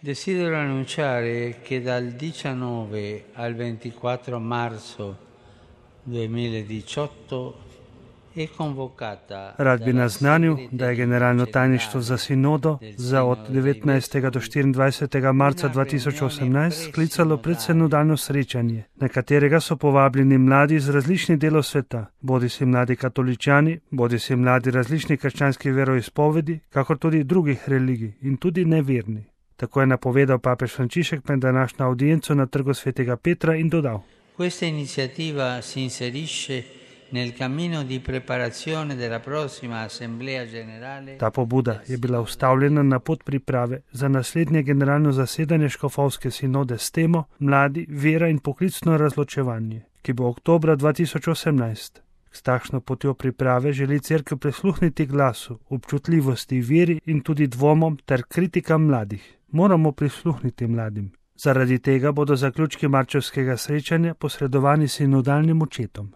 Desidero annunciare che dal 19 al 24 marzo 2018 è convocata Rad bi naznanil, da je generalno tajništvo za sinodo za od 19. do 24. marca 2018 sklicalo predsinodalno srečanje, na katerega so povabljeni mladi iz različnih delov sveta, bodisi mladi katoličani, bodisi mladi različnih krščanskih veroizpovedi, kakor tudi drugih religij in tudi neverni. Tako je napovedal papež Frančišek med današnjo audienco na Trgu svetega Petra in dodal: Questa iniziativa si inserisce nel cammino di preparazione della prossima Assemblea Generale. Ta pobuda je bila ustavljena na pot priprave za naslednje generalno zasedanje škofovske sinode s temo Mladi, vera in poklicno razločevanje, ki bo oktobra 2018. S takšno potjo priprave želi cerkev prisluhniti glasu, občutljivosti, veri in tudi dvomom ter kritikam mladih. Moramo prisluhniti mladim. Zaradi tega bodo zaključki marčevskega srečanja posredovani sinodalnim očetom.